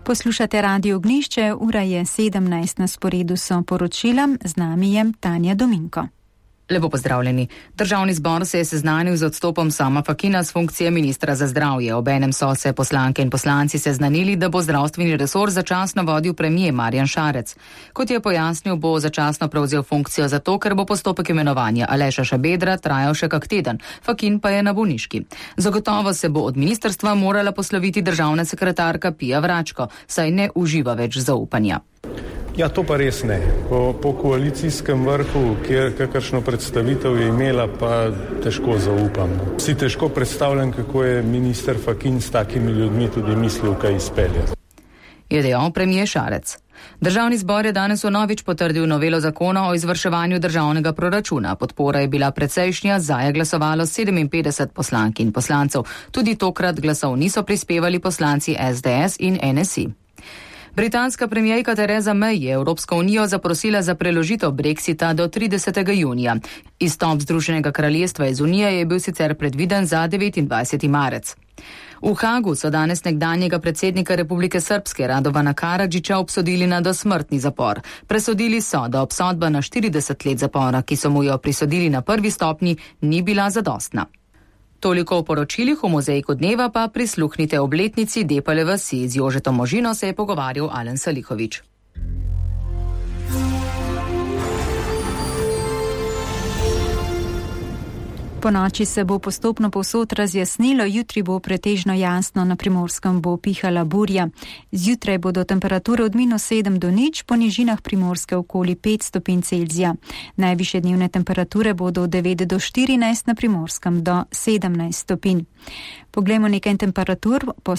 Poslušate Radio Ognjišče, ura je 17, na sporedu so poročila, z nami je Tanja Dominko. Lepo pozdravljeni. Državni zbor se je seznanil z odstopom Sama Fakina z funkcije ministra za zdravje. Obenem so se poslanke in poslanci seznanili, da bo zdravstveni resor začasno vodil premier Marjan Šarec. Kot je pojasnil, bo začasno prevzel funkcijo zato, ker bo postopek imenovanja Aleša Šabedra trajal še kak teden. Fakin pa je na bolniški. Zagotovo se bo od ministrstva morala posloviti državna sekretarka Pija Vračko, saj ne uživa več zaupanja. Ja, to pa res ne. Po koalicijskem vrhu, kjer kakršno predstavitev je imela, pa težko zaupam. Si težko predstavljam, kako je minister Fakin s takimi ljudmi tudi mislil, kaj izpeljati. Je dejal premier Šarec. Državni zbor je danes vnovič potrdil novelo zakona o izvrševanju državnega proračuna. Podpora je bila precejšnja, za je glasovalo 57 poslank in poslancev. Tudi tokrat glasov niso prispevali poslanci SDS in NSI. Britanska premijerka Theresa May je Evropsko unijo zaprosila za preložitev Brexita do 30. junija. Izstop Združenega kraljestva iz unije je bil sicer predviden za 29. marec. V Hagu so danes nekdanjega predsednika Republike Srpske Radovana Karadžića obsodili na dosmrtni zapor. Presodili so, da obsodba na 40 let zapora, ki so mu jo prisodili na prvi stopnji, ni bila zadostna. Toliko o poročilih, v mozaiku dneva pa prisluhnite obletnici Depale vasi. Z Jožetom Možino se je pogovarjal Alen Salihovič. Po noči se bo postopno povsod razjasnilo, jutri bo pretežno jasno, na Primorskem bo pihala burja. Zjutraj bodo temperature od -7 do 0, po nižinah Primorske okoli 5 stopinj Celzija. Najvišje dnevne temperature bodo od 9 do 14, na Primorskem do 17 stopinj. Poglejmo nekaj temperatur po